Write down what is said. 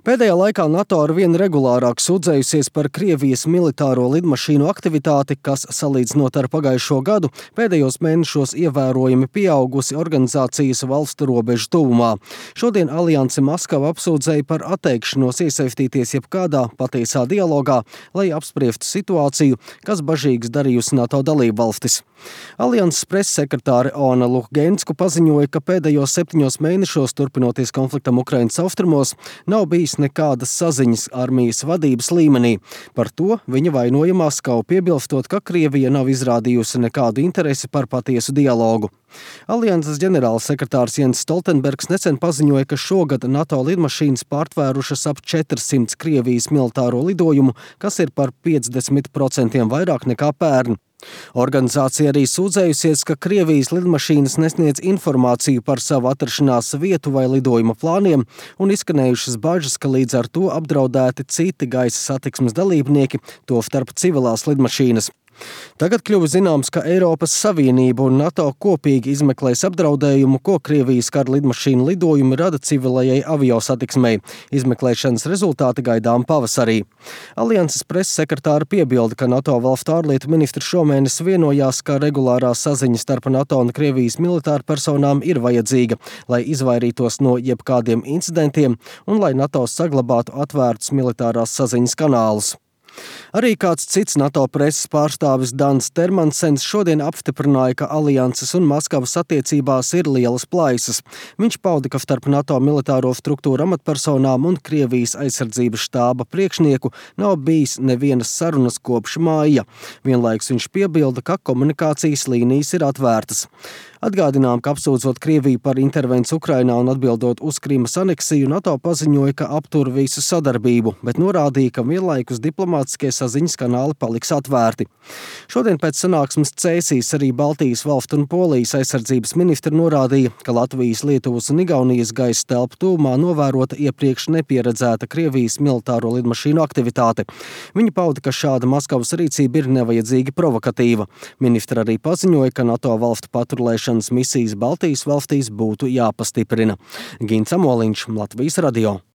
Pēdējā laikā NATO arvien regulārāk sūdzējusies par Krievijas militāro lidmašīnu aktivitāti, kas, salīdzinot ar pagājušo gadu, pēdējos mēnešos ievērojami pieaugusi organizācijas valstu robežu tuvumā. Šodien Alianse Maskava apsūdzēja par atteikšanos iesaistīties jebkādā patiesā dialogā, lai apspriestu situāciju, kas bažīgas darījusi NATO dalībvalstis. Alianses pressekretāre Oana Luhgensku paziņoja, ka pēdējos 7 mēnešos, turpinoties konfliktam Ukrainas austrumos, nav bijis nekādas saziņas armijas vadības līmenī. Par to viņa vainoja Maskavu, piebilstot, ka Krievija nav izrādījusi nekādu interesi par patiesu dialogu. Alianses ģenerālsekretārs Jens Stoltenbergs nesen paziņoja, ka šogad NATO lidmašīnas pārtvērušas ap 400 Krievijas militāro lidojumu, kas ir par 50% vairāk nekā pērn. Organizācija arī sūdzējusies, ka Krievijas lidmašīnas nesniedz informāciju par savu atrašanās vietu vai lidojuma plāniem un izskanējušas bažas, ka līdz ar to apdraudēti citi gaisa satiksmes dalībnieki, tostarp civilās lidmašīnas. Tagad kļuva zināms, ka Eiropas Savienība un NATO kopīgi izmeklēs apdraudējumu, ko Krievijas kara lidmašīnu lidojumi rada civilajai aviosatiksmei. Izmeklēšanas rezultāti gaidām pavasarī. Alianses pressekretāra piebilda, ka NATO valstu ārlietu ministri šomēnes vienojās, ka regulārā saziņa starp NATO un Krievijas militāru personām ir vajadzīga, lai izvairītos no jebkādiem incidentiem un lai NATO saglabātu atvērtus militārās saziņas kanālus. Arī kāds cits NATO preses pārstāvis Dans Termansens šodien apstiprināja, ka Alianses un Maskavas attiecībās ir lielas plaisas. Viņš pauda, ka starp NATO militāro struktūru amatpersonām un Krievijas aizsardzības štāba priekšnieku nav bijis nevienas sarunas kopš māja. Vienlaikus viņš piebilda, ka komunikācijas līnijas ir atvērtas. Atgādinām, ka apsūdzot Krieviju par intervenciju Ukrainā un atbildot uz Krimas aneksiju, NATO paziņoja, ka aptur visu sadarbību, bet norādīja, ka vienlaikus diplomātiskie saziņas kanāli paliks atvērti. Šodien pēc sanāksmes Cēsīs arī Baltijas valstu un Polijas aizsardzības ministri norādīja, ka Latvijas, Lietuvas un Igaunijas gaisa telpu tuvumā novērota iepriekš nepieredzēta Krievijas militāro lidmašīnu aktivitāte. Viņi pauda, ka šāda Maskavas rīcība ir nevajadzīgi provokatīva. Ministri arī paziņoja, ka NATO valstu patrulēšanas misijas Baltijas valstīs būtu jāpastiprina. Gins Amoliņš, Latvijas radio.